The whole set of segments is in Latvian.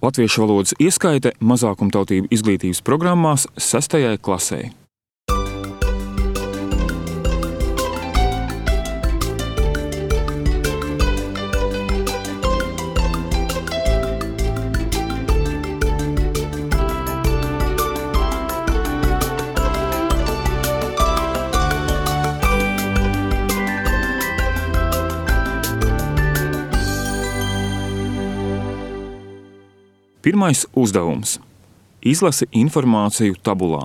Latviešu valodas ieskaite mazākumtautību izglītības programmās 6. klasei. Pirmais uzdevums – izlasi informāciju tabulā.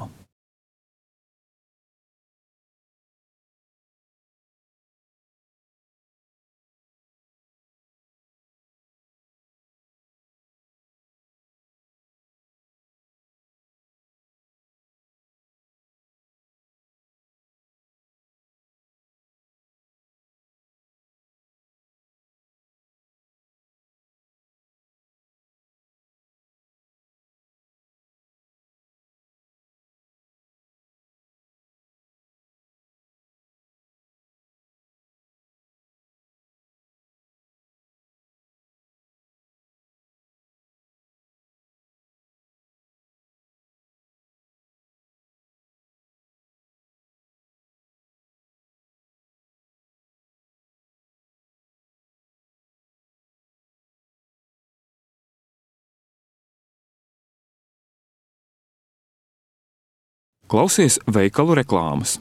Klausies veikalu reklāmas.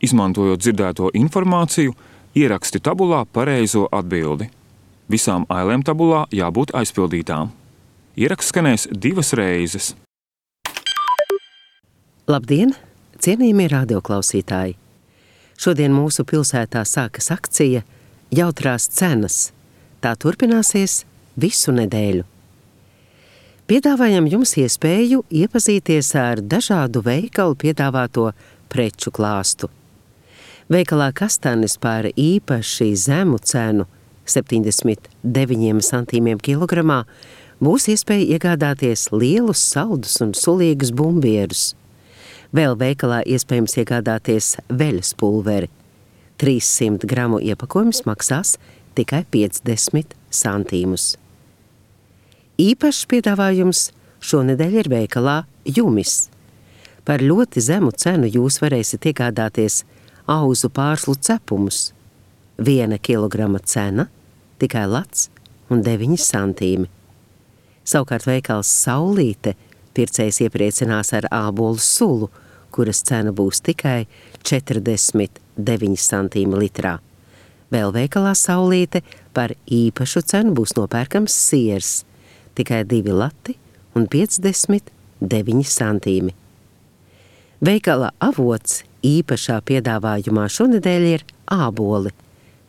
Izmantojot dzirdēto informāciju, ieraksti tabulā pareizo atbildi. Visām ailēm tabulā jābūt aizpildītām. Ieraksts skanēs 2 reizes. Labdien, cienījamie radioklausītāji! Šodien mūsu pilsētā sākas akcija Jautrās cenas. Tā turpināsies visu nedēļu. Piedāvājam jums iespēju iepazīties ar dažādu veikalu piedāvāto preču klāstu. Veikalā Kastanis par īpaši zemu cenu 79 centīmiem kilogramā būs iespēja iegādāties lielus saldus un sulīgus bumbierus. Vēl veikalā iespējams iegādāties veļas pulveri. 300 gramu iepakojums maksās tikai 50 centīmus. Īpašs piedāvājums šonedēļ ir veikalā Jumis. Par ļoti zemu cenu jūs varēsiet iegādāties auzu pārslu cepumus. 1 kilograma cena tikai lats un 9 centīmi. Savukārt veikals Saulīte pircējs iepriecinās ar ābolu sulu, kuras cena būs tikai 49 centīmi litrā. Vēl veikalā Saulīte par īpašu cenu būs nopērkams siers, tikai 2 lati un 59 centīmi. Veikala Avots īpašā piedāvājumā šonedēļ ir āboli.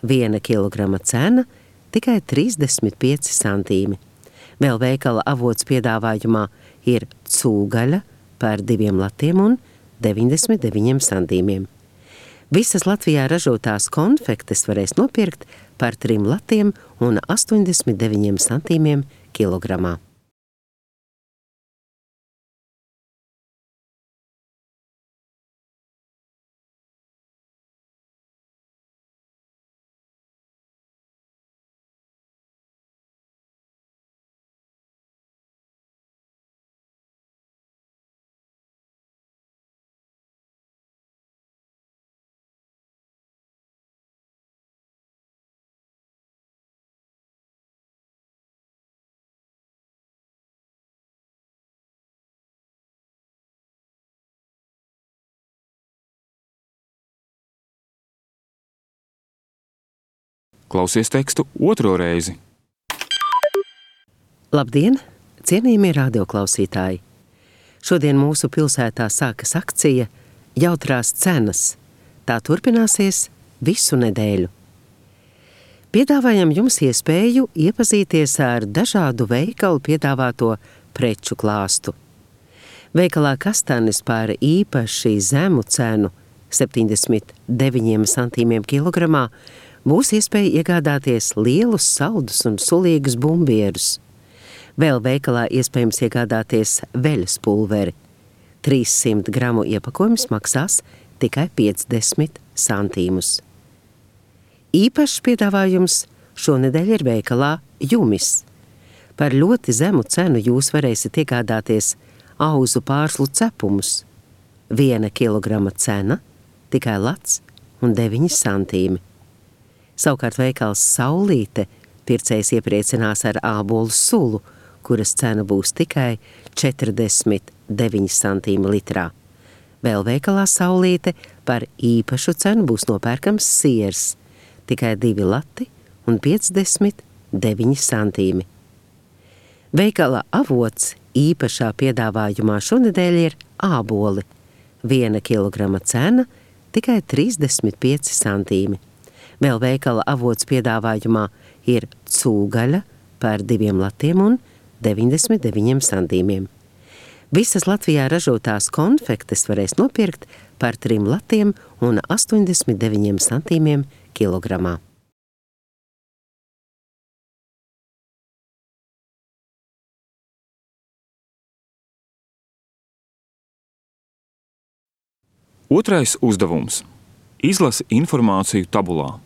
1 kilograma cena tikai 35 centīmi. Vēl veikala Avots piedāvājumā ir cūgaļa par 2 latiem un 99 centīmiem. Visas Latvijā ražotās konfektes varēs nopirkt par 3 latiem un 89 centīmiem kilogramā. Klausies tekstu 2. reizi. Labdien, cienījamie radioklausītāji! Šodien mūsu pilsētā sākas akcija Jautrās cenas. Tā turpināsies visu nedēļu. Piedāvājam jums iespēju iepazīties ar dažādu veikalu piedāvāto preču klāstu. Veikalā Kastanis par īpaši zemu cenu 79 centīmiem kilogramā būs iespēja iegādāties lielus saldus un sulīgus bumbierus. Vēl veikalā iespējams iegādāties veļas pulveri. 300 gramu iepakojums maksās tikai 50 centīmus. Īpašs piedāvājums šonedēļ ir veikalā Jumis. Par ļoti zemu cenu jūs varēsiet iegādāties auzu pārslu cepumus. 1 kilograma cena tikai lats un 9 centīmi. Savukārt veikals Saulīte pircējs iepriecinās ar ābolu sulu, kuras cena būs tikai 49 centīmi litrā. Vēl veikalā Saulīte par īpašu cenu būs nopērkams siers, tikai 2 lati un 59 centīmi. Veikala Avots īpašā piedāvājumā šonedēļ ir āboli. 1 kilograma cena tikai 35 centīmi. Vēl veikala Avots piedāvājumā ir cūgaļa par 2 latiem un 99 centīmiem. Visas Latvijā ražotās konfektes varēs nopirkt par 3 latiem un 89 centīmiem kilogramā. Otrais uzdevums – izlasi informāciju tabulā.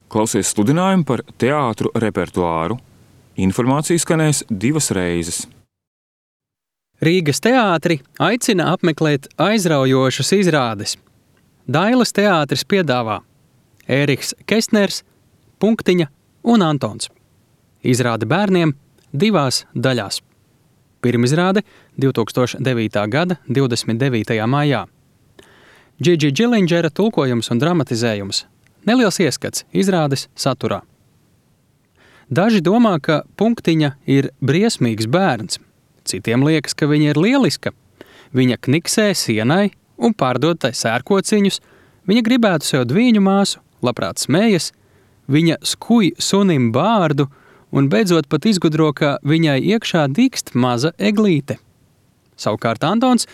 Klausies sludinājumu par teātru repertuāru. Informācija skanēs 2 reizes. Rīgas teātri aicina apmeklēt aizraujošas izrādes. Dailes teātris piedāvā Ēriks Kestners, Punktiņa un Antons. Izrāde bērniem 2 daļās. Pirmizrāde 2009. gada 29. maijā. Džidži Džilindžera tulkojums un dramatizējums. Neliels ieskats izrādes saturā. Daži domā, ka Punktiņa ir briesmīgs bērns. Citiem liekas, ka viņa ir lieliska. Viņa kniksē sienai un pārdod tai sērkociņus. Viņa gribētu sev dvīņu māsu, labprāt smējas. Viņa skuj sunim bārdu un beidzot pat izgudro, ka viņai iekšā dīkst maza eglīte. Savukārt Antons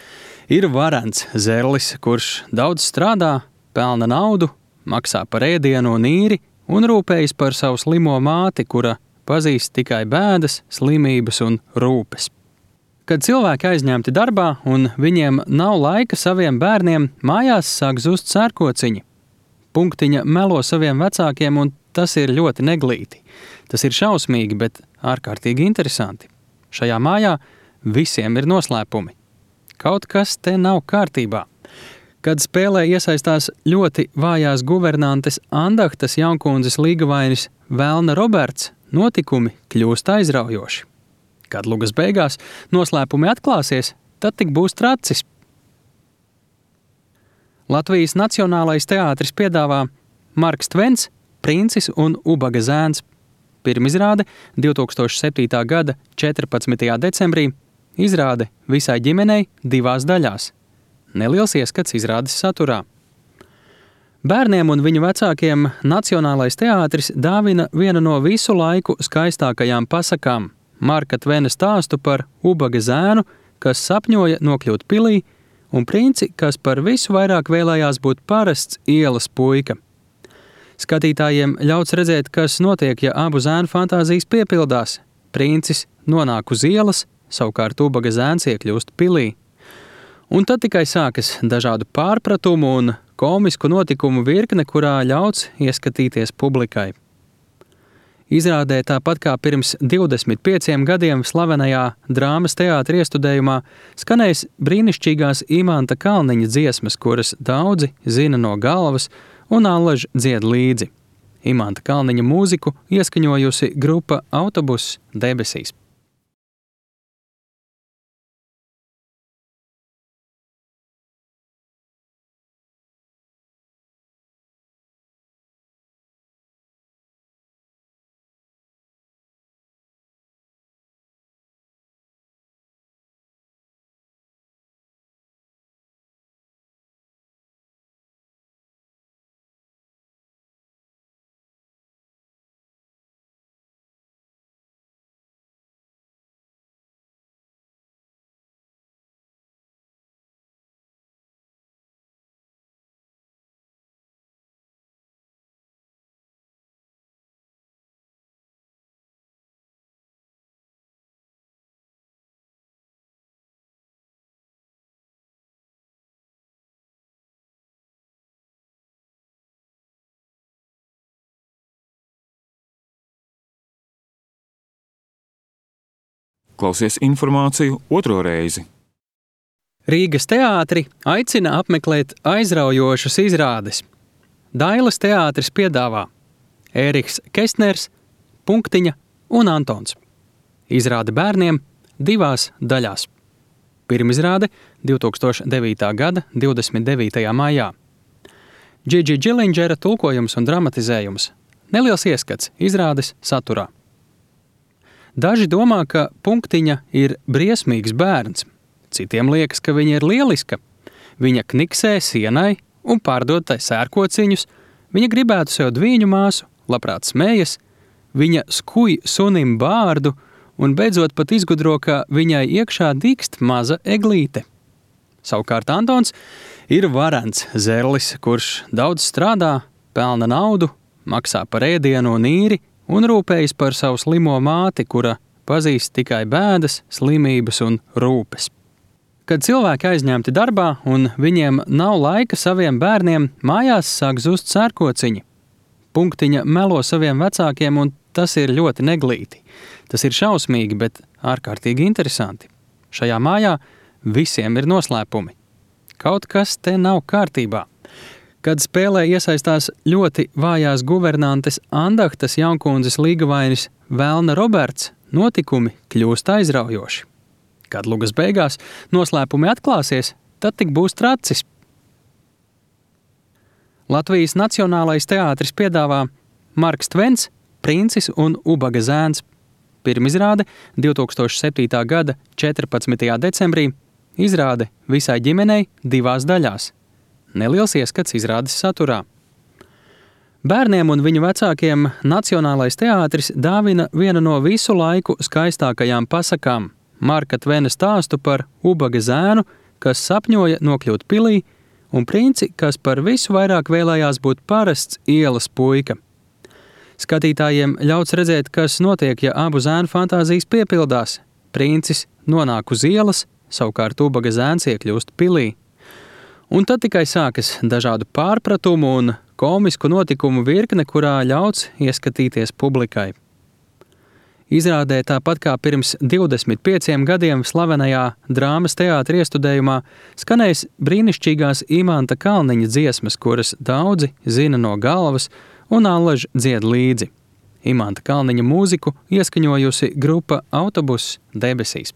ir varens zerlis, kurš daudz strādā, pelna naudu, maksā par ēdienu un īri un rūpējas par savu slimo māti, kura pazīst tikai bēdas, slimības un rūpes. Kad cilvēki aizņemti darbā un viņiem nav laika saviem bērniem, mājās sāk zust sērkociņi. Punktiņa melo saviem vecākiem un tas ir ļoti neglīti. Tas ir šausmīgi, bet ārkārtīgi interesanti. Šajā mājā visiem ir noslēpumi. Kaut kas te nav kārtībā. Kad spēlē iesaistās ļoti vājās guvernantes Andahtas Jaunkundzes līgavainis Velna Roberts, notikumi kļūst aizraujoši. Kad lugas beigās noslēpumi atklāsies, tad tik būs tracis. Latvijas Nacionālais teātris piedāvā Marks Tvens, Princis un Ubaga zēns. Pirmizrāde 2007. gada 14. decembrī, izrāde visai ģimenei 2 daļās. Neliels ieskats izrādes saturā. Bērniem un viņu vecākiem Nacionālais teātris dāvina vienu no visu laiku skaistākajām pasakām – Marka Tvena stāstu par Ubaga zēnu, kas sapņoja nokļūt pilī, un princi, kas par visu vairāk vēlējās būt parasts ielas puika. Skatītājiem ļauts redzēt, kas notiek, ja abu zēnu fantāzijas piepildās. Princis nonāk uz ielas, savukārt Ubaga zēns iekļūst pilī. Un tad tikai sākas dažādu pārpratumu un komisku notikumu virkne, kurā ļauts ieskatīties publikai. Izrādē tāpat kā pirms 25 gadiem slavenajā drāmas teātra iestudējumā skanēs brīnišķīgās Imanta Kalniņa dziesmas, kuras daudzi zina no galvas un allaž dzied līdzi. Imanta Kalniņa mūziku ieskaņojusi grupa Autobuss debesīs. Klausies informāciju otro reizi. Rīgas teātri aicina apmeklēt aizraujošas izrādes. Dailes teātris piedāvā Ēriks Kestners, Punktiņa un Antons. Izrāde bērniem 2 daļās. Pirmizrāde 2009. gada 29. maijā. Džidži Džilindžera tulkojums un dramatizējums. Neliels ieskats izrādes saturā. Daži domā, ka Punktiņa ir briesmīgs bērns. Citiem liekas, ka viņa ir lieliska. Viņa kniksē sienai un pārdod tai sērkociņus. Viņa gribētu sev dvīņu māsu, labprāt smējas. Viņa skuj sunim bārdu un beidzot pat izgudro, ka viņai iekšā dīkst maza eglīte. Savukārt Antons ir varens zerlis, kurš daudz strādā, pelna naudu, maksā par ēdienu un īri un rūpējas par savu slimo māti, kura pazīst tikai bēdas, slimības un rūpes. Kad cilvēki aizņemti darbā un viņiem nav laika saviem bērniem, mājās sāk zust sērkociņi. Punktiņa melo saviem vecākiem, un tas ir ļoti neglīti. Tas ir šausmīgi, bet ārkārtīgi interesanti. Šajā mājā visiem ir noslēpumi. Kaut kas te nav kārtībā. Kad spēlē iesaistās ļoti vājās guvernantes Andahtas jaunkundzes līgavainis Velna Roberts, notikumi kļūst aizraujoši. Kad lugas beigās noslēpumi atklāsies, tad tik būs tracis. Latvijas Nacionālais teātris piedāvā Marks Tvens, Princis un Ubaga zēns. Pirmizrāde 2007. gada 14. decembrī, izrāde visai ģimenei 2 daļās. Neliels ieskats izrādes saturā. Bērniem un viņu vecākiem Nacionālais teātris dāvina vienu no visu laiku skaistākajām pasakām – Marka Tvena stāstu par Ubaga zēnu, kas sapņoja nokļūt pilī, un princi, kas par visu vairāk vēlējās būt parasts ielas puika. Skatītājiem ļauts redzēt, kas notiek, ja abu zēnu fantāzijas piepildās. Princis nonāk uz ielas, savukārt Ubaga zēns iekļūst pilī. Un tad tikai sākas dažādu pārpratumu un komisku notikumu virkne, kurā ļauts ieskatīties publikai. Izrādē tāpat kā pirms 25 gadiem slavenajā drāmas teātra iestudējumā skanēs brīnišķīgās Imanta Kalniņa dziesmas, kuras daudzi zina no galvas un allaž dzied līdzi. Imanta Kalniņa mūziku ieskaņojusi grupa Autobuss debesīs.